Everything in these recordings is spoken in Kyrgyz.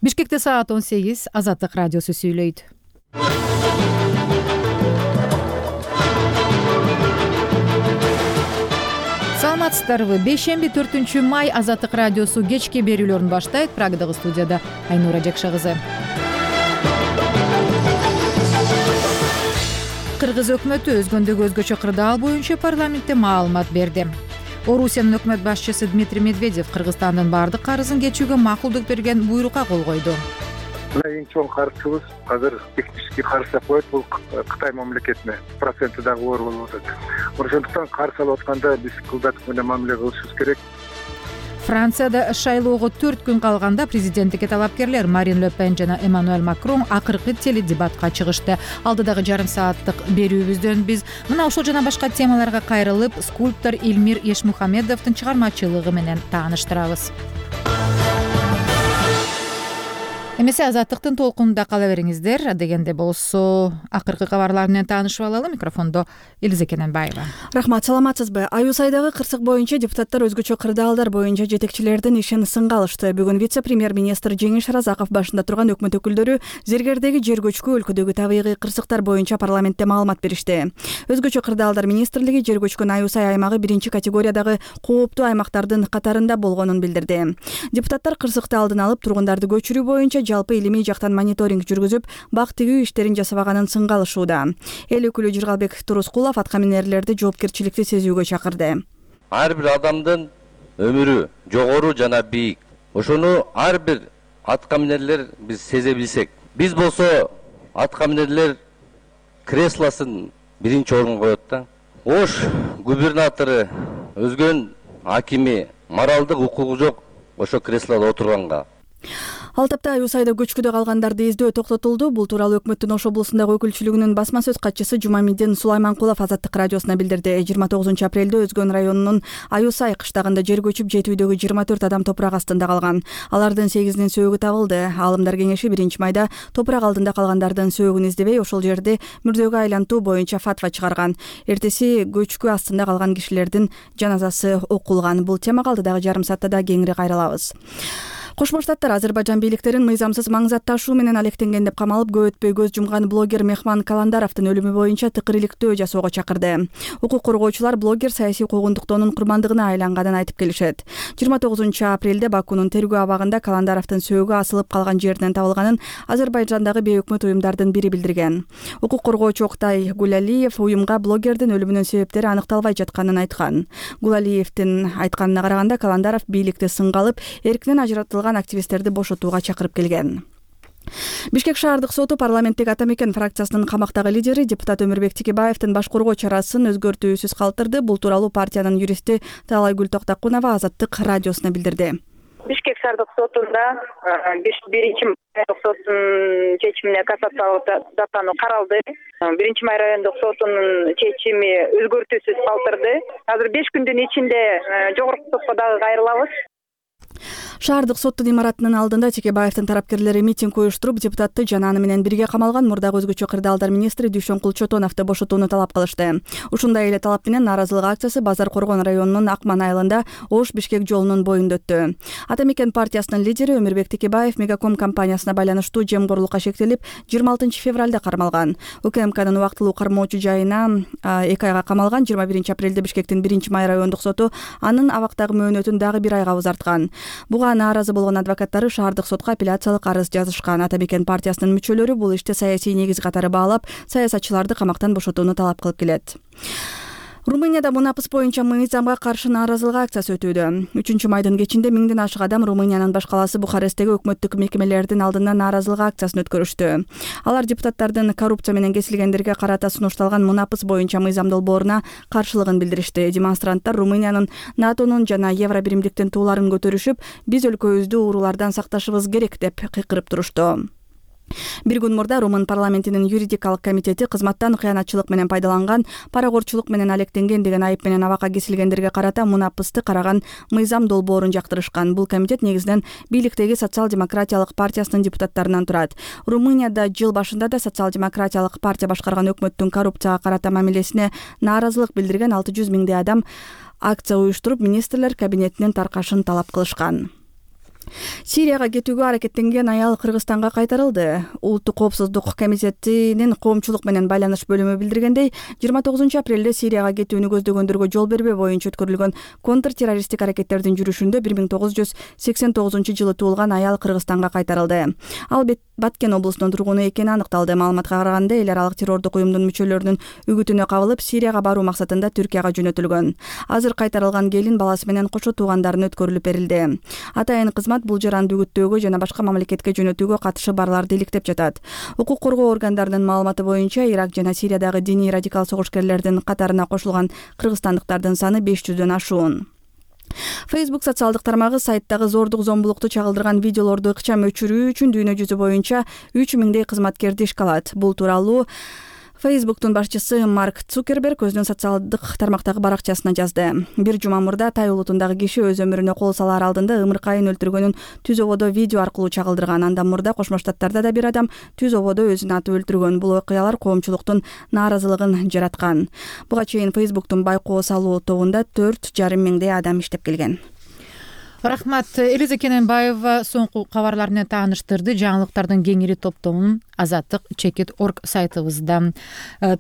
Бишкекте саат 18, Азаттык радиосу сүйлөйт. Саламатсыздарбы? Бейшемби 4-май Азаттык радиосу кечки берүүлөрүн баштайт. Прагдагы студияда Айнура Жакшагызы. Кыргыз өкмөтү өзгөндөгү өзгөчө кырдаал боюнча парламентте маалымат берди. Орусиянын өкмөт башчысы Дмитрий Медведев Кыргызстандын бардык карызын кечүүгө макулдук берген буйрукка кол койду. Эң чоң карызыбыз азыр технический карыз деп коет, бул Кытай мамлекетине проценти дагы оор болуп атат. Ошондуктан карыз алып атканда биз кылдатык менен мамиле кылышыбыз керек. Францияда шайлоого 4 күн калганда президенттикке талапкерлер Марин Ле Пен жана Эммануэль Макрон акыркы теледебатка чыгышты. Алдыдагы жарым сааттык берүүбүздөн биз мына ушул жана башка темаларга кайрылып, скульптор Илмир Ешмухамедовдун чыгармачылыгы менен тааныштырабыз. Эмесе Азаттыктын толкунунда кала бериңиздер. Дегенде болсо акыркы кабарлар менен таанышып алалы. Микрофондо Элиза Кененбаева. Рахмат, саламатсызбы? Аюсайдагы кырсык боюнча депутаттар өзгөчө кырдаалдар боюнча жетекчилердин ишин сынга алышты. Бүгүн вице-премьер-министр Жеңиш Разаков башында турган өкмөт өкүлдөрү зергердеги жер көчкү, өлкөдөгү табигый кырсыктар боюнча парламентте маалымат беришти. Өзгөчө кырдаалдар министрлиги жер көчкөн Аюсай аймагы 1-категориядагы кооптуу аймактардын катарында болгонун билдирди. Депутаттар кырсыкты алдын алып, тургундарды көчүрүү боюнча жалпы илимий жактан мониторинг жүргүзүп, бак тигүү иштерин жасабаганын сынга алышууда. Эл өкүлү Жыргалбек Турускулов аткаминерлерди жоопкерчиликти сезүүгө чакырды. Ар бир адамдын өмүрү жогору жана бийик. Ошону ар бир аткаминерлер биз сезе билсек. Биз болсо аткаминерлер креслосын биринчи орунга коет да. Ош губернатору, өзгөн акими моралдык укугу жок ошо креслодо отурганга. Ал тапта Аюсайда көчкүдө калгандарды издөө токтотулду. Бул тууралуу өкмөттүн Ош облусундагы өкүлчүлүгүнүн басма сөз катчысы Жумамидин Сулайманкулов Азаттык радиосуна билдирди. 29-апрелде Өзгөн районунун Аюсай кыштагында жер көчүп, жетүүдөгү 24 адам топурак астында калган. Алардын 8-инин сөөгү табылды. Аалымдар кеңеши 1-майда топурак алдында калгандардын сөөгүн издебей, ошол жерди мүрдөгө айлантуу боюнча фатва чыгарган. Эртеси көчкү астында калган кишилердин жаназасы окулган. Бул темага алдыдагы жарым саатта да кеңири кайрылабыз. Кошмо Штаттар Азербайжан бийликтерин мыйзамсыз маңзат ташуу менен алектенген деп камалып, көп өтпөй көз жумган блогер Мехман Каландаровдун өлүмү боюнча тыкырыйлыктөө жасоого чакырды. Укук коргоочулар блогер саясий куугунтуктоонун курмандыгына айланганын айтып келишет. 29-апрелде Бакунун тергөө абагында Каландаровдун сөөгү асылып калган жерден табылганын Азербайжандагы бейөкмөт уюмдардын бири билдирген. Укук коргоочу Октай Гулалиев уюмга блогердин өлүмүнүн себептери аныкталбай жатканын айткан. Гулалиевдин айтканына караганда, Каландаров бийликти сынга алып, эркинен ажыратылган активисттерди бошотууга чакырып келген. Бишкек шаардык соту парламенттеги Ата Мекен фракциясынын камактагы лидери депутат Өмүрбек Тикебаевдин баш коргоо чарасын өзгөртүүсүз калтырды. Бул тууралуу партиянын юристи Таалайгүл Токтакунова Азаттык радиосуна билдирди. Бишкек шаардык сотунда 1-май сотунун чечимине кассациялык даттануу каралды. 1-май райондук сотунун чечими өзгөртүүсүз калтырды. Азыр 5 күндүн ичинде жогорку сотко дагы кайрылабыз. Шаардык соттун имаратынын алдында Тикебаевдин тарапкерлери митинг уюштуруп, депутатты жана аны менен бирге камалган мурдагы өзгөчө кырдаалдар министри Дүйшөнкул Чотоновду бошотууну талап кылышты. Ушундай эле талап менен нааразылык акциясы Базар Коргон районунун Акман айылында Ош-Бишкек жолунун боюнда өттү. Ата Мекен партиясынын лидери Өмүрбек Тикебаев Мегаком компаниясына байланыштуу жемкорлукка шектелип, 26-февралда кармалган. УКМКнын убактылуу кармоочу жайына 2 айга камалган. 21-апрелде Бишкектин 1-май райондук соту анын абактагы мөөнөтүн дагы 1 айга узарткан. Буга нааразы болгон адвокаттары шаардык сотко апелляциялык арыз жазышкан. Ата Мекен партиясынын мүчөлөрү бул ишти саясий негиз катары баалап, саясатчыларды камактан бошотууну талап кылып келет. Румынияда мунапыс боюнча мыйзамга каршы нааразылык акциясы өтүүдө. 3-майдын кечинде 1000ден ашык адам Румыниянын баш калаасы Бухаресттеги өкмөттүк мекемелердин алдында нааразылык акциясын өткөрүштү. Алар депутаттардын коррупция менен кесилгендерге карата сунушталган мунапыс боюнча мыйзам долбооруна каршылыгын билдиришти. Демонстранттар Румыниянын НАТОнун жана Евро биримдиктин тууларын көтөрүшүп, биз өлкөбүздү уурулардан сакташыбыз керек деп кыйкырып турушту. Bir күн мурда Румын парламентинин юридикалык комитети кызматтан кыянатчылык менен пайдаланган, парагорчулук менен алектенген деген айып менен абакка кесилгендерге карата мунапысты караган мыйзам долбоорун жактырышкан. Бул комитет негизинен бийликтеги социал-демократиялык партиясынын депутаттарынан турат. Румынияда жыл башында да социал-демократиялык партия башкарган өкмөттүн коррупцияга карата мамилесине нааразылык билдирген 600 миңдей адам акция уюштуруп, министрлер кабинетинин таркашын талап кылышкан. Сирияга кетүүгө аракеттенген аял Кыргызстанга кайтарылды. Улуттук коопсуздук комитетинин коомчулук менен байланыш бөлүмү билдиргендей, 29 апрелде Сирияга кетүүнү көздөгөндөргө жол бербөө боюнча өткөрүлгөн контртеррористтик аракеттердин жүрүшүндө 1989 жылы туулган аял Кыргызстанга кайтарылды. Ал Баткен облусунун тургуну экени аныкталды. Маалыматка караганда, эл аралык террордук уюмдун мүчөлөрүнүн үгүтүнө кабылып, Сирияга баруу максатында Түркияга жөнөтүлгөн. Азыр кайтарылган келин баласы менен кошо туугандарына өткөрүлүп берилди. Атайын кызмат бул жаранды үгүттөөгө жана башка мамлекетке жөнөтүүгө катышы барларды иликтеп жатат. Укук коргоо органдарынын маалыматы боюнча, Ирак жана Сириядагы диний радикал согушкерлердин катарына кошулган кыргызстандыктардын саны 500дөн ашуун. Facebook социалдык тармагы сайттагы зордук зомбулукту чагылдырган видеолорду ыкчам өчүрүү үчүн дүйнө жүзү боюнча 3000 кызматкерди ишке алат. Бул тууралуу Facebooktун башчысы Марк Цукерберг өзүнүн социалдык тармактагы баракчасына жазды. Бир жума мурда Тай улутундагы киши өз өмүрүнө кол салаар алдында ымыркайын өлтүргөнүн түз ободо видео аркылуу чагылдырган. Андан мурда Кошмо Штаттарда да бир адам түз ободо өзүн атып өлтүргөн. Бул окуялар коомчулуктун нааразылыгын жараткан. Буга чейин Facebooktун байкоо салуу тобунда 4,5 миңдей адам иштеп келген. Рахмат. Элиза Кененбаева соңку кабарлар менен тааныштырды. Жаңылыктардын кеңири топтомун azattik.org сайтыбызда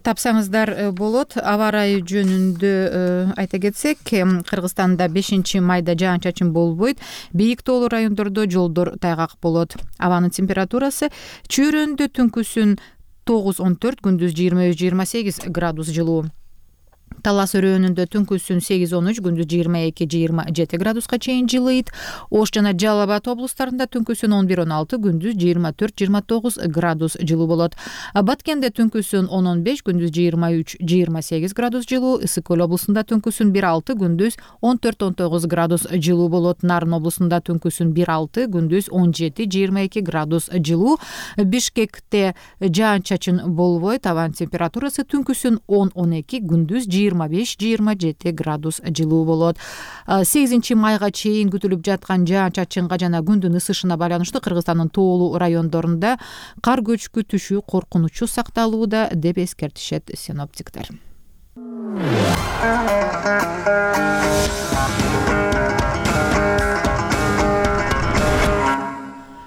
тапсаңыздар болот. Аба ырайы жөнүндө айта кетсек, Кыргызстанда 5-майда жаан-чачын болбойт. Бийик тоолуу райондордо жолдор тайгак болот. Абанын температурасы чүйрөндө түнкүсүн 9-14, күндүз 23-28 градус жылуу. Талас өрөөнүндө түнкүсүн 8-13, күндүз 22-27 градуска чейин жылыйт. Ош жана Жалал Абад облустарында түнкүсүн 11-16, күндүз 24-29 градус жылуу болот. Баткенде түнкүсүн 10-15, күндүз 23-28 градус жылуу. Ысык Көл облусунда түнкүсүн 1-6, күндүз 14-19 градус жылуу болот. Нарын облусунда түнкүсүн 1-6, күндүз 17-22 градус жылуу. Бишкекте жаан-чачын болбойт. Абанын температурасы түнкүсүн 10-12, күндүз 25-27 градус жылуу болот. 8-майга чейин күтүлүп жаткан жаан-чачынга жана күндүн ысышына байланыштуу Кыргызстандын тоолуу райондорунда кар көчкү түшүү коркунучу сакталууда деп эскертишет синоптиктер.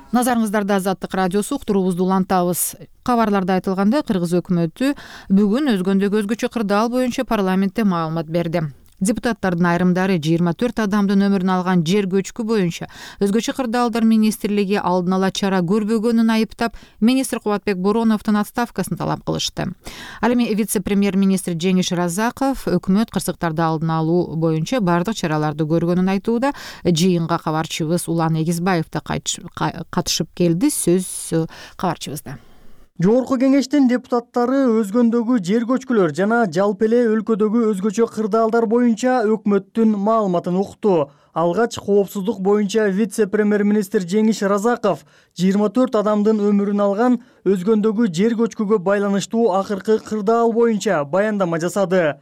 Назарыңыздарда Азаттык радиосу, уктуруубузду улантабыз. Кабарларда айтылгандай, Кыргыз өкмөтү бүгүн өзгөндөгү өзгөчө кырдаал боюнча парламентте маалымат берди. Депутаттардын айрымдары 24 адамдын өмүрүн алган жер көчкү боюнча өзгөчө кырдаалдар министрлиги алдын ала чара көрбөгөнүн айыптап, министр Кубатбек Бороновдун отставкасын талап кылышты. Ал эми вице-премьер-министр Жеңиш Разаков өкмөт кырсыктарды алдын алуу боюнча бардык чараларды көргөнүн айтууда. Жыйынга кабарчыбыз Улан Эгизбаев да катышып келди. Сөз кабарчыбызда. Жогорку кеңештин депутаттары өзгөндөгү жер көчкүлөр жана жалпы эле өлкөдөгү өзгөчө кырдаалдар боюнча өкмөттүн маалыматын укту. Алгач коопсуздук боюнча вице-премьер-министр Жеңиш Разаков 24 адамдын өмүрүн алган өзгөндөгү жер көчкүгө байланыштуу акыркы кырдаал боюнча баяндама жасады.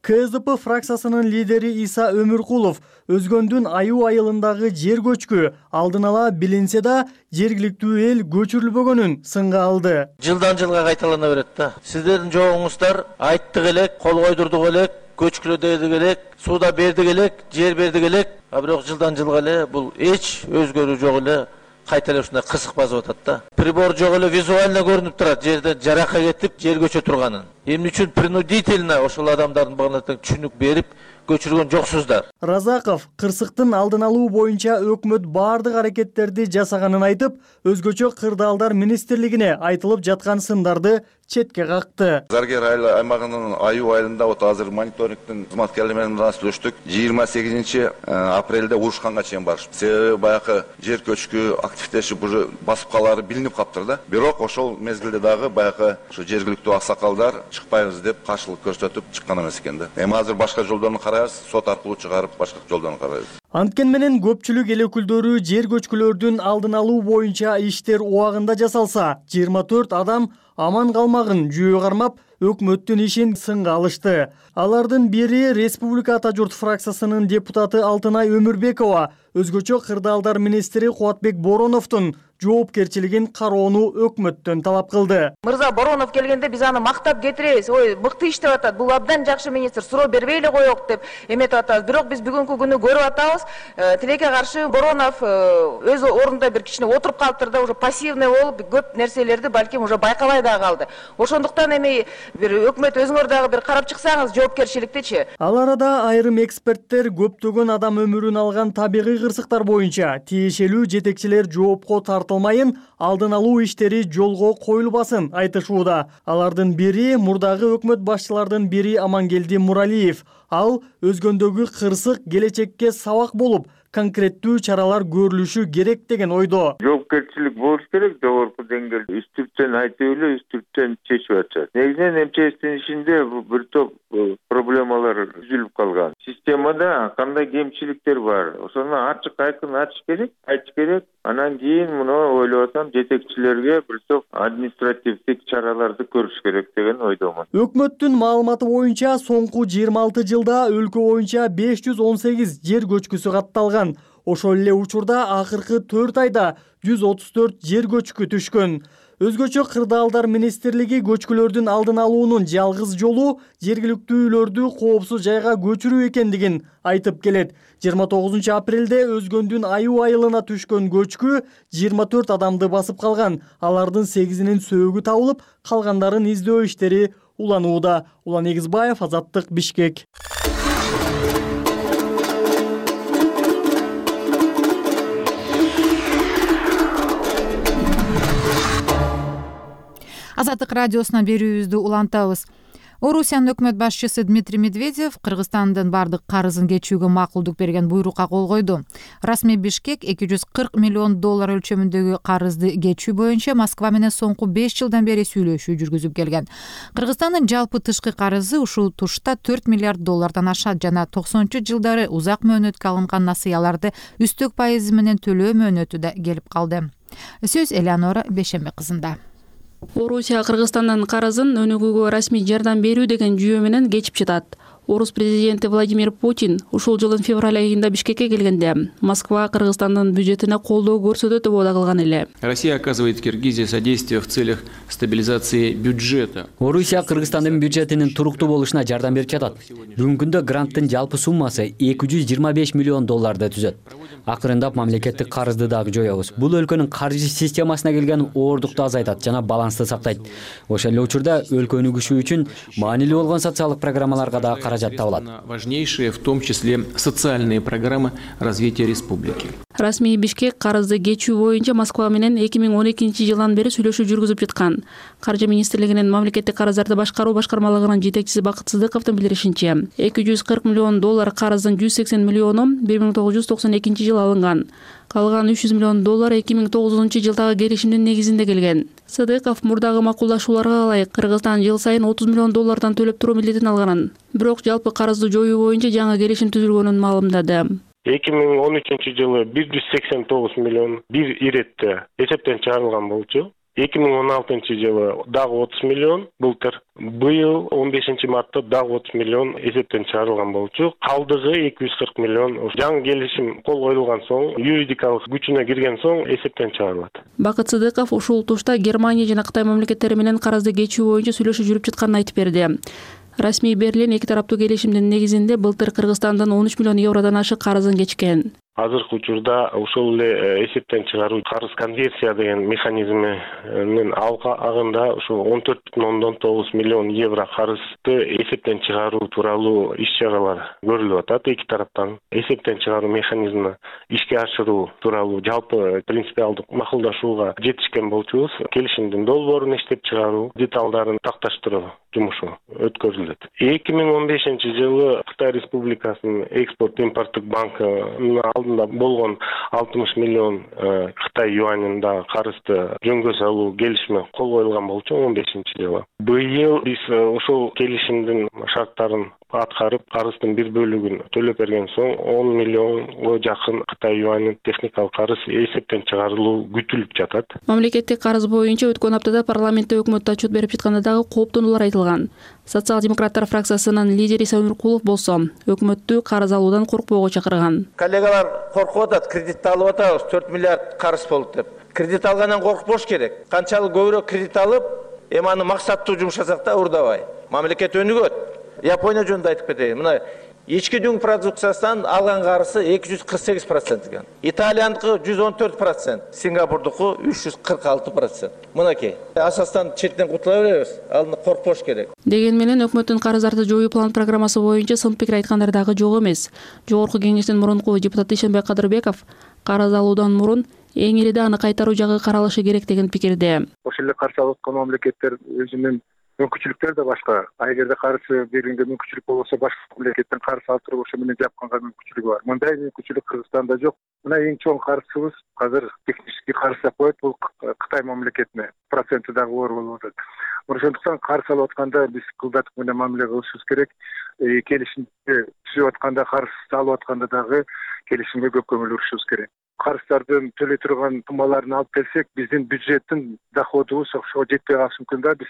КСДП фракциясынын лидери Иса Өмүркулов өзгөндүн аюу айылындагы жер көчкү алдын ала билинсе да жергиликтүү эл көчүрүлбөгөнүн сынга алды. Жылдан жылга кайталана берет да. Сиздердин жоогуңуздар айттык элек, кол койдурдук элек, көчкүлө дедик элек, сууда бердик элек, жер бердик элек. А бирок жылдан жылга эле бул эч өзгөрүү жок эле. Кайта эле ушундай кысык басып атат да. Прибор жок эле визуально көрүнүп турат жерден жаракка кетип жер көчө турганын. Эмне үчүн принудительно ошол адамдардын багына түшүнүк берип көчүргөн жоксуздар. Разаков кырсыктын алдын алуу боюнча өкмөт бардык аракеттерди жасаганын айтып, өзгөчө кырдаалдар министрлигине айтылып жаткан сындарды четке какты. Заргер аймагынын аюу айылында азыр мониторингдин кызматкерлери менен сүйлөштүк. 28 апрелде урушканга чейин барышып. Себеби баягы жер көчкү активдешип уже басып калары билинип каптыр да. Бирок ошол мезгилде дагы баягы ошо жергиликтүү аксакалдар чыкпайбыз деп каршылык көрсөтүп чыккан эмес экен да. Эми азыр башка жолдорун карайбыз, сот аркылуу чыгарып башка жолдорун карайбыз. Анткен менен көпчүлүк эл өкүлдөрү жер көчкүлөрдүн алдын алуу боюнча иштер убагында жасалса, 24 адам аман калмагын жүйө кармап, өкмөттүн ишин сынга алышты. Алардын бири Республика Ата журт фракциясынын депутаты Алтынай Өмүрбекова өзгөчө кырдаалдар министри Кубатбек Бороновдун жоопкерчилигин кароону өкмөттөн талап кылды. Мырза Боронов келгенде биз аны мактап кетиребиз. Ой, мыкты иштеп атат. Бул абдан жакшы министр. Суроо бербей эле коелук деп эметип атабыз. Бирок биз бүгүнкү күнү көрүп атабыз. Тилекке каршы Боронов өз ордунда бир кичине отуруп калыптыр да, уже пассивный болуп, көп нерселерди балким уже байкабай да калды. Ошондуктан эми бир өкмөт өзүңөр дагы бир карап чыксаңыз жоопкерчиликтичи. Ал арада айрым эксперттер көптөгөн адам өмүрүн алган табигый кырсыктар боюнча тиешелүү жетекчилер жоопко тартылмайын, алдын алуу иштери жолго коюлбасын айтышууда. Алардын бири мурдагы өкмөт башчылардын бири Амангелди Муралиев. Ал өзгөндөгү кырсык келечекке сабак болуп, конкреттүү чаралар көрүлүшү керек деген ойдо. Жоопкерчилик болуш керек, жогорку деңгээлде үстүрттөн айтып эле үстүрттөн чечип атышат. Негизинен МЧСтин ишинде бир топ проблемалар түзүлүп калган. Системада кандай кемчиликтер бар, ошону ачык айкын айтыш керек. Анан кийин муну ойлоп атам, жетекчилерге бир топ административдик чараларды көрүш керек деген ойдомун. Өкмөттүн маалыматы боюнча соңку 26 жылда өлкө боюнча 518 жер көчкүсү катталган. Ошол эле учурда акыркы 4 айда 134 жер көчкү түшкөн. Өзгөчө кырдаалдар министрлиги көчкүлөрдүн алдын алуунун жалгыз жолу жергиликтүүлөрдү коопсуз жайга көчүрүү экендигин айтып келет. 29 апрелде Өзгөндүн аюу айылына түшкөн көчкү 24 адамды басып калган. Алардын 8-нин сөөгү табылып, калгандарын издөө иштери уланууда. Улан Эгизбаев, Азаттык, Бишкек. Азаттык радиосунан берүүбүздү улантабыз. Орусиянын өкмөт башчысы Дмитрий Медведев Кыргызстандын бардык карызын кечүүгө макулдук берген буйрукка кол койду. Расмий Бишкек $240 миллион өлчөмүндөгү карызды кечүү боюнча Москва менен соңку 5 жылдан бери сүйлөшүү жүргүзүп келген. Кыргызстандын жалпы тышкы карызы ушул тушта $4 миллиард ашат жана 90-жылдары узак мөөнөткө алынган насыяларды үстөк пайызы менен төлөө мөөнөтү да келип калды. Сөз Элеонора Бешембе кызында. Орусия Кыргызстандан карызын өнүгүүгө расмий жардам берүү деген жүйө менен кечип жатат. Орус президенти Владимир Путин ушул жылдын февраль айында Бишкекке келгенде Москва Кыргызстандын бюджетине колдоо көрсөтөт деп ода кылган эле. Россия оказывает Киргизии содействие в целях стабилизации бюджета. Орусия Кыргызстандын бюджетинин туруктуу болушуна жардам берип жатат. Бүгүнкү күндө гранттын жалпы суммасы $225 миллион түзөт. Акырындап мамлекеттик карызды дагы жоёбуз. Бул өлкөнүн каржы системасына келген оордукту азайтат жана балансты сактайт. Ошол эле учурда өлкө өнүгүшү үчүн маанилүү болгон социалдык программаларга да каражат табылат. Важнейшие, в том числе социальные программы развития республики. Расмий Бишкек карызды кечүү боюнча Москва менен 2012 жылдан бери сүйлөшүү жүргүзүп жаткан. Каржы министрлигинин мамлекеттик карыздарды башкаруу башкармалыгынын жетекчиси Бакыт Сыдыковдун билдиришинче, $240 миллион карыздын 180 миллиону 1992 жылы алынган. Калган $300 миллион 2009 жылдагы келишимдин негизинде келген. Сыдыков мурдагы макулдашууларга ылайык Кыргызстан жыл сайын $30 миллион төлөп туруу милдетин алганын. Бирок жалпы карызды жоюу боюнча жаңы келишим түзүлгөнүн маалымдады. 2013 жылы 189 миллион бир иретте эсептен чыгарылган болчу. 2016 жылы дагы 30 миллион былтыр. Быйыл 15 мартта дагы 30 миллион эсептен чыгарылган болчу. Калдыгы 240 миллион. Жаңы келишим кол коюлган соң, юридикалык күчүнө кирген соң эсептен чыгарылат. Бакыт Сыдыков ушул тушта Германия жана Кытай мамлекеттери менен карызды кечүү боюнча сүйлөшүү жүрүп жатканын айтып берди. Расмий берилген эки тараптуу келишимдин негизинде былтыр Кыргызстандан €13 миллион ашык карызын кечкен. Азыркы учурда ушул эле эсептен чыгаруу карыз конверсия деген механизминин агында ушул €14,9 миллион карызды эсептен чыгаруу тууралуу иш-чаралар көрүлүп атат. Эки тараптан эсептен чыгаруу механизмин ишке ашыруу тууралуу жалпы принципиалдык макулдашууга жетишкен болчубуз. Келишимдин долбоорун иштеп чыгаруу, деталдарын такташтыруу жумушу өткөрүлөт. 2015 жылы Кытай Республикасынын экспорт-импорттук банкынын алдында болгон 60 миллион Кытай юанында карызды жөнгө салуу келишими кол коюлган болчу 15 жылы. Быйыл биз ошол келишимдин шарттарын аткарып, карыздын бир бөлүгүн төлөп берген соң 10 миллионго жакын Кытай юанын техникалык карыз эсептен чыгарылуу күтүлүп жатат. Мамлекеттик карыз боюнча өткөн аптада парламентте өкмөт отчет берип жатканда дагы кооптонуулар айтылган. Социал-демократтар фракциясынын лидери Иса Өмүркулов болсо өкмөттү карыз алуудан коркпоого чакырган. Коллегалар коркуп атат, кредит алып атабыз, 4 миллиард карыз болду деп. Кредит алгандан коркпош керек. Канчалык көбүрөөк кредит алып, эми аны максаттуу жумшасак да урдабай. Мамлекет өнүгөт. Япония жөнүндө айтып кетейин. Мына ички дүң продукциясынан алган карызы 248% экен. Италияныкы 114%, Сингапурдуку 346%. Мынакей. Асастан четтен кутула беребиз. Алны коркпош керек. Деген менен өкмөттүн карыздарды жоюу план программасы боюнча сын пикир айткандар дагы жок эмес. Жогорку кеңештин мурунку депутаты Ишенбек Кадырбеков карыз алуудан мурун эң эле аны кайтаруу жагы каралышы керек деген пикирде. Ошол эле каршы алып аткан мамлекеттер өзүнүн мүмкүнчүлүктөрү да башка. Эгерде карызы бергенге мүмкүнчүлүк болбосо, башка мамлекеттен карыз алып туруп ошо менен жапканга мүмкүнчүлүгү бар. Мындай мүмкүнчүлүк Кыргызстанда жок. Мына эң чоң карызыбыз азыр технический карыз деп коет, бул Кытай мамлекетине. Проценти дагы оор болуп атат. Ошондуктан карыз алып атканда биз кылдатык менен мамиле кылышыбыз керек. Келишимге түзүп атканда, карыз алып атканда дагы келишимге көп көңүл бурушубуз керек. Карыздардын төлөй турган суммаларын алып келсек, биздин бюджеттин доходубуз ошого жетпей калышы мүмкүн да. Биз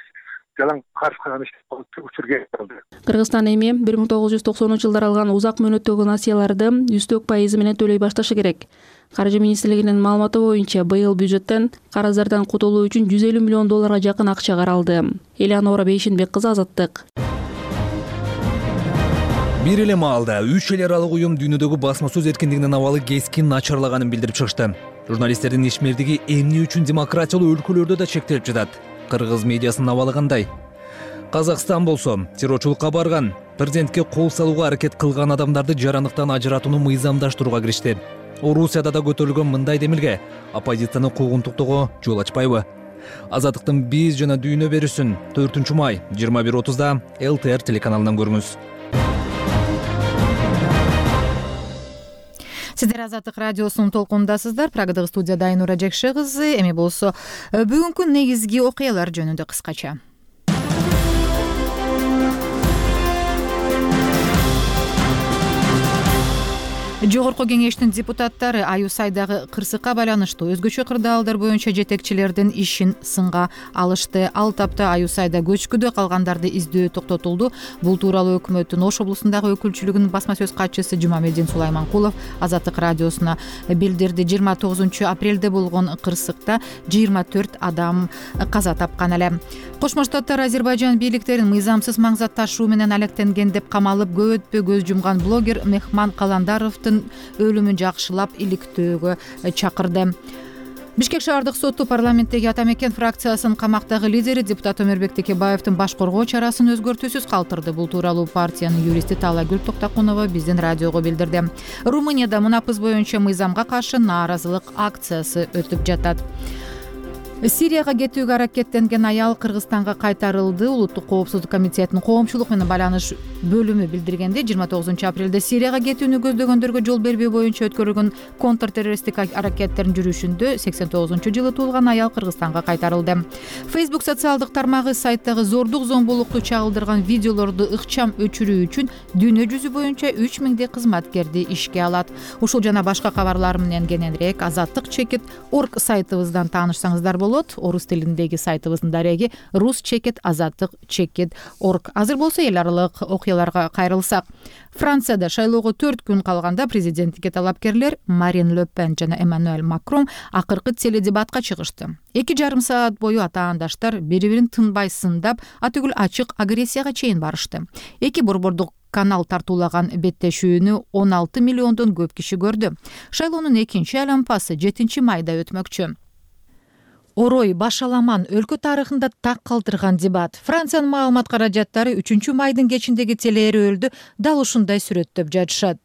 жалаң карызга учурга калды. Кыргызстан эми 1990-жылдар алган узак мөөнөттөгү насыяларды 100% менен төлөй башташы керек. Каржы министрлигинин маалыматы боюнча быйыл бюджеттен карыздардан кутулуу үчүн $150 миллион жакын акча каралды. Элеонора Бейшенбек кызы, Азаттык. Бир эле маалда үч эл аралык уюм дүйнөдөгү басма сөз эркиндигинин абалы кескин начарлаганын билдирип чыгышты. Журналисттердин ишмердиги эмне үчүн демократиялуу өлкөлөрдө да чектелип жатат? Кыргыз медиасынын абалы кандай? Казакстан болсо террорчулукка барган, президентке кол салууга аракет кылган адамдарды жарандыктан ажыратууну мыйзамдаштырууга киришти. Орусияда да көтөрүлгөн мындай демилге оппозицияны куугунтуктоого жол ачпайбы? Азаттыктын биз жана дүйнө берүүсүн 4-май 21:30 ЛТР телеканалынан көрүңүз. Сиздер Азаттык радиосунун толкунундасыздар. Прагадагы студияда Айнура Жекше кызы. Эми болсо бүгүнкү негизги окуялар жөнүндө кыскача. Жогорку кеңештин депутаттары аю сайдагы кырсыкка байланыштуу өзгөчө кырдаалдар боюнча жетекчилердин ишин сынга алышты. Ал тапта аю сайда көчкүдө калгандарды издөө токтотулду. Бул тууралуу өкмөттүн Ош облусундагы өкүлчүлүгүнүн басма сөз катчысы Жумамедин Сулайманкулов Азаттык радиосуна билдирди. 29-апрелде болгон кырсыкта 24 адам каза тапкан эле. Кошмо Штаттар Азербайжан бийликтерин мыйзамсыз маңзат ташуу менен алектенген деп камалып көп өтпөй көз жумган блогер Мехман Каландаровдун өлүмүн жакшылап иликтөөгө чакырды. Бишкек шаардык соту парламенттеги Ата Мекен фракциясынын камактагы лидери депутат Өмүрбек Текебаевдин баш коргоо чарасын өзгөртүүсүз калтырды. Бул тууралуу партиянын юристи Талагүл Токтакунова биздин радиого билдирди. Румынияда мунапыз боюнча мыйзамга каршы нааразылык акциясы өтүп жатат. Сирияга кетүүгө аракеттенген аял Кыргызстанга кайтарылды. Улуттук коопсуздук комитетинин коомчулук менен байланыш бөлүмү билдиргенде 29-апрелде Сирияга кетүүнү көздөгөндөргө жол бербөө боюнча өткөрүлгөн контртеррористтик аракеттерин жүрүшүндө 89-жылы туулган аял Кыргызстанга кайтарылды. Facebook социалдык тармагы сайттагы зордук зомбулукту чагылдырган видеолорду ыкчам өчүрүү үчүн дүйнө жүзү боюнча 3000 кызматкерди ишке алат. Ушул жана башка кабарлар менен кененирээк azattik.org сайтыбыздан таанышсаңыздар болот. Орус тилиндеги сайтыбыздын дареги ruschekit.azattik.org. Азыр болсо эл аралык окуяларга кайрылсак. Францияда шайлоого 4 күн калганда президенттикке талапкерлер Марин Ле Пен жана Эммануэль Макрон акыркы теледебатка чыгышты. 2,5 саат бою атаандаштар бири-бирин тынбай сындап, атүгүл ачык агрессияга чейин барышты. Эки борбордук канал тартуулаган беттешүүнү 16 миллиондон көп киши көрдү. Шайлоонун экинчи айлампасы 7-майда өтмөкчү. Орой башаламан өлкө тарыхында так калтырган дебат. Франциянын маалымат каражаттары 3-майдын кечиндеги телеөрөлдү дал ушундай сүрөттөп жатышат.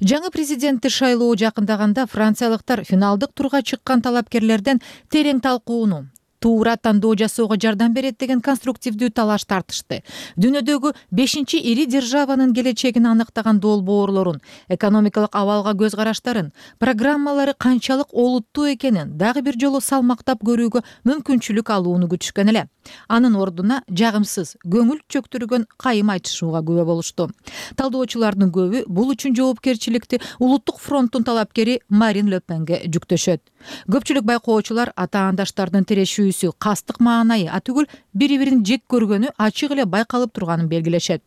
Жаңы президентти шайлоо жакындаганда франциялыктар финалдык турга чыккан талапкерлерден терең талкууну, туура тандоо жасоого жардам берет деген конструктивдүү талаш тартышты. Дүйнөдөгү 5-ири державанын келечегин аныктаган долбоорлорун, экономикалык абалга көз караштарын, программалары канчалык олуттуу экенин дагы бир жолу салмактап көрүүгө мүмкүнчүлүк алууну күтүшкөн эле. Анын ордуна жагымсыз, көңүл чөктүргөн кайым айтышууга күбө болушту. Талдоочулардын көбү бул үчүн жоопкерчиликти Улуттук фронттун талапкери Марин Ле Пенге жүктөшөт. Көпчүлүк байкоочулар атаандаштардын тирешүүсү кастык маанайы атүгүл бири бирин жек көргөнү ачык эле байкалып турганын белгилешет.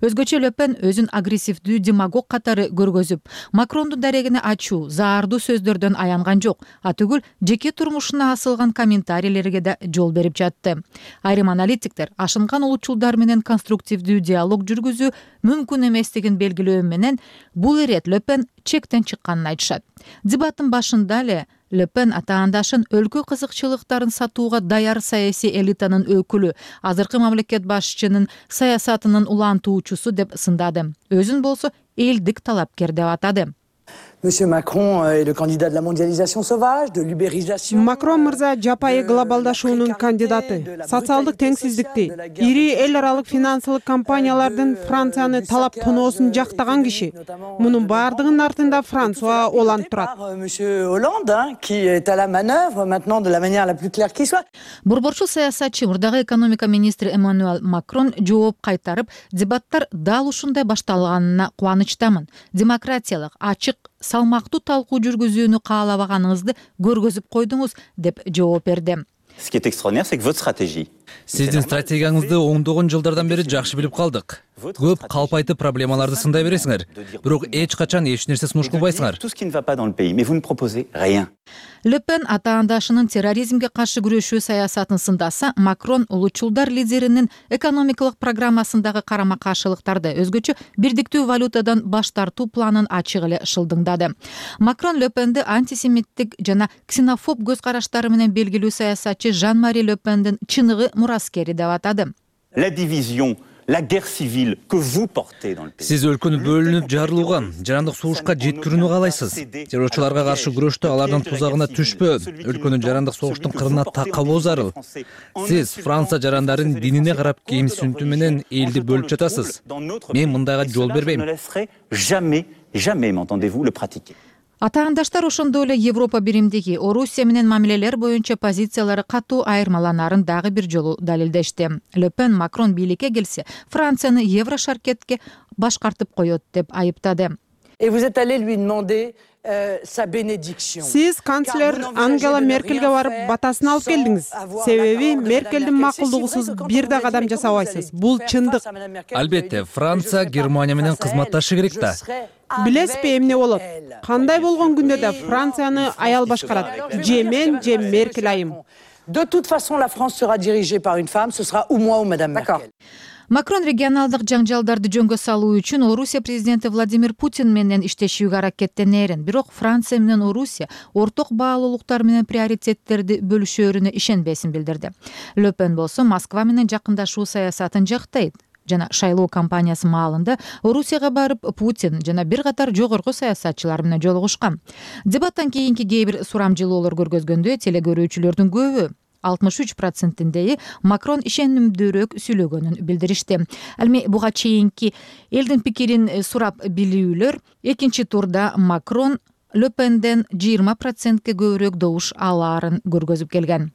Өзгөчө Ле Пен өзүн агрессивдүү демагог катары көргөзүп, Макрондун дарегине ачуу, заардуу сөздөрдөн аянган жок, атүгүл жеке турмушуна асылган комментарийлерге да жол берип жатты. Айрым аналитиктер ашынган улутчулдар менен конструктивдүү диалог жүргүзүү мүмкүн эместигин белгилөө менен бул ирет Ле Пен чектен чыкканын айтышат. Дебаттын башында эле Ле Пен атаандашын өлкө кызыкчылыктарын сатууга даяр саясий элитанын өкүлү, азыркы мамлекет башчынын саясатынын улантуучусу деп сындады. Өзүн болсо элдик талапкер деп атады. Monsieur Macron est le candidat de la mondialisation sauvage, de l'ubérisation. Макрон мырза жапайы глобалдашуунун кандидаты, социалдык теңсиздикти, ири эл аралык финансылык компаниялардын Францияны талап тоноосун жактаган киши. Мунун баардыгынын артында Франсуа Оланд турат. Monsieur Hollande, qui est à la manœuvre maintenant de la manière la plus claire qui soit. Борборчул саясатчы, мурдагы экономика министри Эммануэль Макрон жооп кайтарып, дебаттар дал ушундай башталганына кубанычтамын. Демократиялык, ачык, салмактуу талкуу жүргүзүүнү каалабаганыңызды көргөзүп койдуңуз деп жооп берди. Ce qui est extraordinaire, c'est que votre stratégie. Сиздин стратегияңызды оңдогон жылдардан бери жакшы билип калдык. Көп калпайтып проблемаларды сындай бересиңер, бирок эч качан эч нерсе сунуш кылбайсыңар. Tout ce qui ne va pas dans le pays, mais vous ne proposez rien. Ле Пен атаандашынын терроризмге каршы күрөшүү саясатын сындаса, Макрон улутчулдар лидеринин экономикалык программасындагы карама-каршылыктарды, өзгөчө бирдиктүү валютадан баш тартуу планын ачык эле шылдыңдады. Макрон Ле Пенди антисемиттик жана ксенофоб көз караштары менен белгилүү саясатчы Жан-Мари Ле Пендин чыныгы мураскери деп атады. La division, la guerre civile que vous portez dans le pays. Сиз өлкөнү бөлүнүп жарылууга, жарандык согушка жеткирүүнү каалайсыз. Террорчуларга каршы күрөштө алардын тузагына түшпөө, өлкөнү жарандык согуштун кырына такабоо зарыл. Сиз Франция жарандарын динине карап кемсинтүү менен элди бөлүп жатасыз. Мен мындайга жол бербейм. Jamais m'entendez-vous le pratiquer. Атаандаштар ошондой эле Европа биримдиги Орусия менен мамилелер боюнча позициялары катуу айырмаланарын дагы бир жолу далилдешти. Ле Пен Макрон бийликке келсе, Францияны Еврошаркетке башкартып коет деп айыптады. Et vous êtes allé lui demander sa bénédiction. Сиз канцлер Ангела Меркельге барып батасын алып келдиңиз. Себеби Меркельдин макулдугусуз бир да кадам жасабайсыз. Бул чындык. Албетте, Франция Германия менен кызматташы керек да. Билесизби эмне болот? Кандай болгон күндө да Францияны аял башкарат. Же мен, же Меркель айым. De toute façon, la France sera dirigée par une femme, ce sera ou moi ou Madame Merkel. Макрон регионалдык жаңжалдарды жөнгө салуу үчүн Орусия президенти Владимир Путин менен иштешүүгө аракеттенерин, бирок Франция менен Орусия орток баалуулуктар менен приоритеттерди бөлүшөөрүнө ишенбесин билдирди. Ле Пен болсо Москва менен жакындашуу саясатын жактайт. Жана шайлоо кампаниясы маалында Орусияга барып Путин жана бир катар жогорку саясатчылар менен жолугушкан. Дебаттан кийинки кээ бир сурамжылоолор көргөзгөндө телекөрүүчүлөрдүн көбү 63%-ндеги Макрон ишенимдүүрөөк сүйлөгөнүн билдиришти. Алми буга чейинки элдин пикирин сурап билүүлөр экинчи турда Макрон Ле Пенден 20%ке көбүрөөк добуш алаарын көргөзүп келген.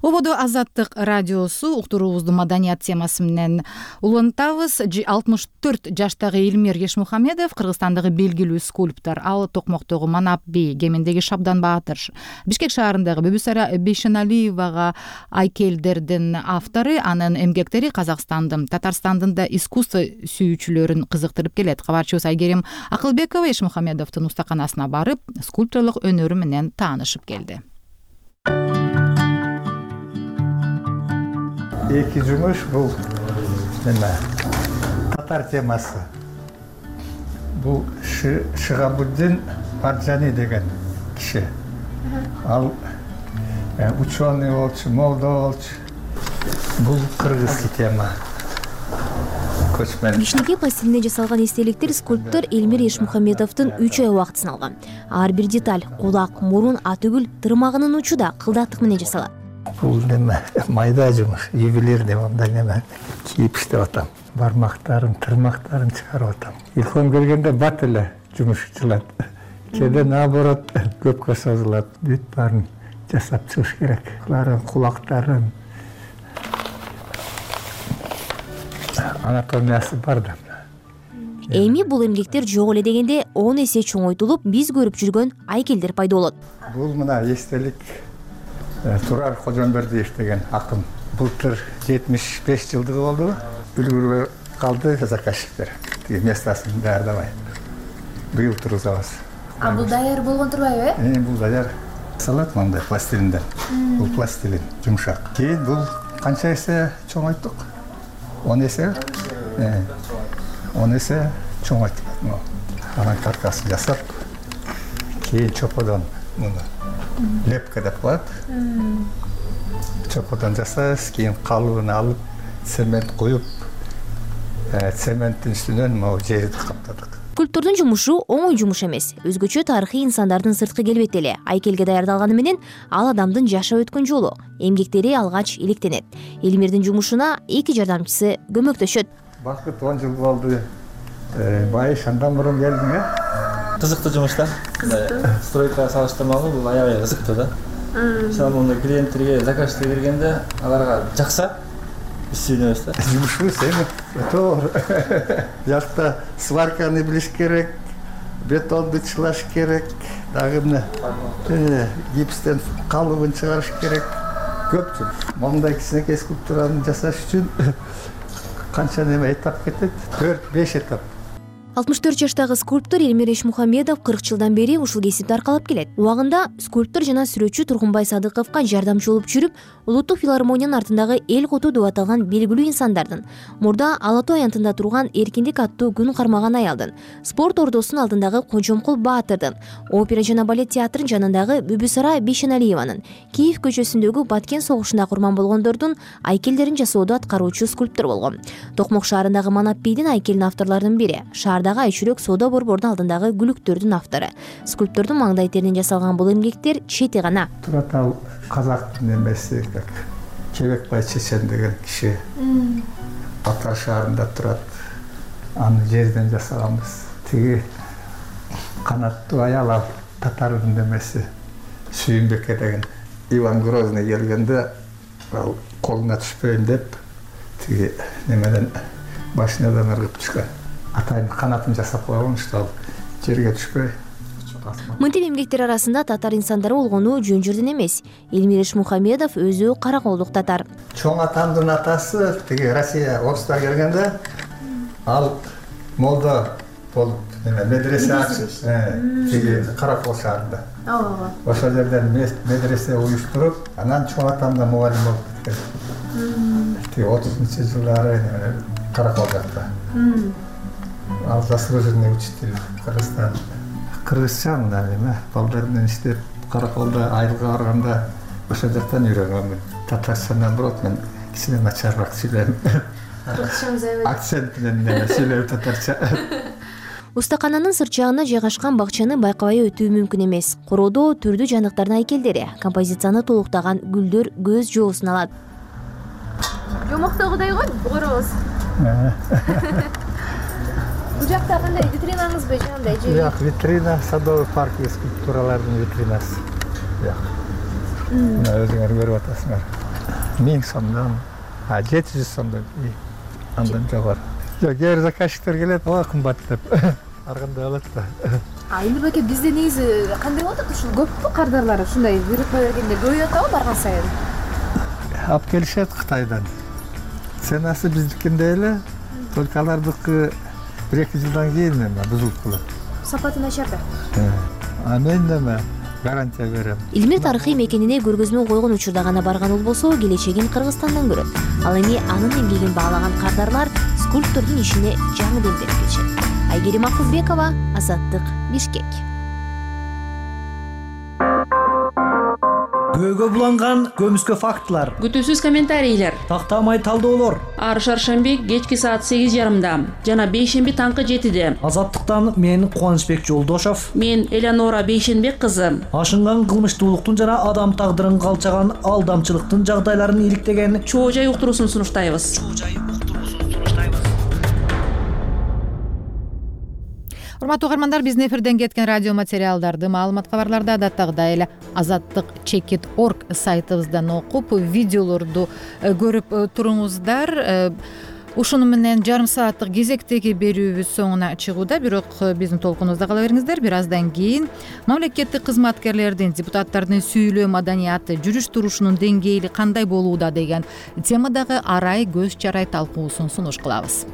Ободо Азаттык радиосу уктуруубузду маданият темасы менен улантабыз. 64 жаштагы Элмир Ешмухамедов Кыргызстандагы белгилүү скульптор, ал Токмоктогу Манап бей, Кемендеги Шабдан Баатыр, Бишкек шаарындагы Бүбүсара Бейшеналиевага айкелдердин автору. Анын эмгектери Казакстандын, Татарстандын да искусство сүйүүчүлөрүн кызыктырып келет. Кабарчыбыз Айгерим Акылбекова Ешмухамедовдун устаканасына барып, скульпторлук өнөрү менен таанышып келди. Эки жумуш бул неме татар темасы. Бул Шыгабуддин Парджани деген киши. Ал ученый болчу, молдо болчу. Бул кыргызский тема. Кичинекей пластилинден жасалган эстеликтер скульптор Элмир Ешмухамедовдун 3 ай убактысын алган. Ар бир деталь, кулак, мурун, атүгүл, тырмагынын учу да кылдаттык менен жасалат. Бул неме майда жумуш, ювелирный мындай неме кийип иштеп атам. Бармактарын, тырмактарын чыгарып атам. Илхом келгенде бат эле жумуш жылат. Кээде наоборот көпкө созулат. Бүт баарын жасап чыгыш керек. Кулактарын анатомиясы бар да. Эми бул эмгектер жок эле дегенде 10 эсе чоңойтулуп, биз көрүп жүргөн айкелдер пайда болот. Бул мына эстелик Турар Кожомбердиев деген акын. Былтыр 75 жылдыгы болду. Үлгүрбөй калды заказчиктер. Тиги местасын даярдабай. Быйыл тургузабыз. Бул даяр болгон турбайбы? Бул даяр. Салат мындай пластилинден. Бул пластилин жумшак. Кийин бул канча эсе чоңойттук? 10 эсе. 10 эсе чоңойттук. Анан каркасын жасап, кийин чоподон муну лепка деп коет. Чоподон жасайбыз, кийин калыбын алып, цемент куюп, цементтин үстүнөн могу жерди каптадык. Скульптордун жумушу оңой жумуш эмес. Өзгөчө тарыхый инсандардын сырткы келбети эле айкелге даярдалганы менен ал адамдын жашап өткөн жолу, эмгектери алгач иликтенет. Элмирдин жумушуна 2 жардамчысы көмөктөшөт. Бакыт 10 жыл болду. Байыш андан мурун келдим, Кызыктуу жумуш да. Стройкага салыштырмалуу бул аябай кызыктуу да. Мисалы мындай клиенттерге заказчы бергенде аларга жакса биз сүйүнөбүз да. Жумушубуз эми туура. Жакта сварканы билиш керек, бетонду чылаш керек, дагы эмне гипстен калыбын чыгарыш керек. Көп жумуш. Мондай кичинекей скульптураны жасаш үчүн канча неме этап кетет? 4-5 этап. 64 жаштагы скульптор Элмир Эшмухамедов 40 жылдан бери ушул кесипти аркалап келет. Убагында скульптор жана сүрөтчү Тургунбай Садыковго жардамчы болуп жүрүп, Улуттук филармониянын артындагы эл куту деп аталган белгилүү инсандардын, мурда Ала Тоо аянтында турган Эркиндик аттуу күн кармаган аялдын, спорт ордосунун алдындагы Кожомкул Баатырдын, опера жана балет театрынын жанындагы Бүбүсара Бейшеналиеванын, Киев көчөсүндөгү Баткен согушунда курман болгондордун айкелдерин жасоодо аткаруучу скульптор болгон. Токмок шаарындагы Манап бийдин айкелин авторлордун бири, шаардагы Айчүрөк соода борборунун алдындагы күлүктөрдүн автору. Скульптордун маңдай теринен жасалган бул эмгектер чети гана. Туратал казактын эмеси, как Кебекбай Чечен деген киши Атар шаарында турат. Аны жерден жасаганбыз. Тиги канаттуу аял татардын эмеси Сүйүнбеке деген Иван Грозный келгенде ал колуна түшпөйүн деп тиги немеден башынадан ыргып түшкөн. Атайын канатын жасап койгон, ал жерге түшпөй. Мынтип эмгектер арасында татар инсандары болгону жөн жерден эмес. Элмир Эшмухамедов өзү караколдук татар. Чоң атамдын атасы тиги Россия орустар келгенде ал молдо болуп медресе ачып, тиги Каракол шаарында. Ошол жерден медресе уюштуруп, анан чоң атам да мугалим болуп кеткен. Тиги 30-жылдары Каракол жакта. Ал заслуженный учитель Кыргызстан. Кыргызча мына эме балдар менен иштеп Караколдо айылга барганда ошол жактан үйрөнгөнмүн. Татарчадан бирок мен кичине начарыраак сүйлөйм. Акцент менен сүйлөйм татарча. Устакананын сырт жагына жайгашкан бакчаны байкабай өтүү мүмкүн эмес. Короодо түрдүү жаныктардын айкелдери, композицияны толуктаган гүлдөр көз жоосун алат. Жомоктогудай го коробуз. Бул жакта кандай витринаңызбы жандай же? Жок, витрина садовый парк скульптуралардын витринасы. Жок. Мына өзүңөр көрүп атасыңар. 1000 сомдон, 700 сомдон андан жогору. Жок, кээ заказчиктер келет, ага кымбат деп. Ар кандай алат да. Элмир баке, бизде негизи кандай болот? Ушул көппү кардарлар ушундай буйрукпай бергенде көбөйүп атабы барган сайын? Алып келишет Кытайдан. Ценасы биздикиндей эле, только алардыкы 1-2 жылдан кийин эме бузулуп калат. Сапаты начар да. Мен деме гарантия берем. Элмир тарыхый мекенине көргөзмө койгон учурда гана барган болбосо, келечегин Кыргызстандан көрөт. Ал эми анын эмгегин баалаган кардарлар скульптордун ишине жаңы дем берип келишет. Айгерим Акылбекова, Азаттык, Бишкек. Көөгө буланган көмүскө фактылар, күтүүсүз комментарийлер, тактамай талдоолор. Ар шаршемби кечки саат 8:30, жана бейшемби таңкы 7-де. Азаттыктан мен Кубанычбек Жолдошов, мен Элеонора Бейшенбек кызы. Ашынган кылмыштуулуктун жана адам тагдырын калчаган алдамчылыктын жагдайларын иликтеген чоо жай уктуруусун сунуштайбыз. Урматтуу угармандар, биздин эфирден кеткен радио материалдарды, маалымат кабарларды адаттагыдай эле azattik.org сайтыбыздан окуп, видеолорду көрүп туруңуздар. ушуну менен жарым сааттык кезектеги берүүбүз соңуна чыгууда. Бирок биздин толкунубузда кала бериңиздер. Бир аздан кийин мамлекеттик кызматкерлердин, депутаттардын сүйлөө маданияты, жүрүш турушунун деңгээли кандай болууда деген темадагы арай көз чарай талкуусун сунуш кылабыз.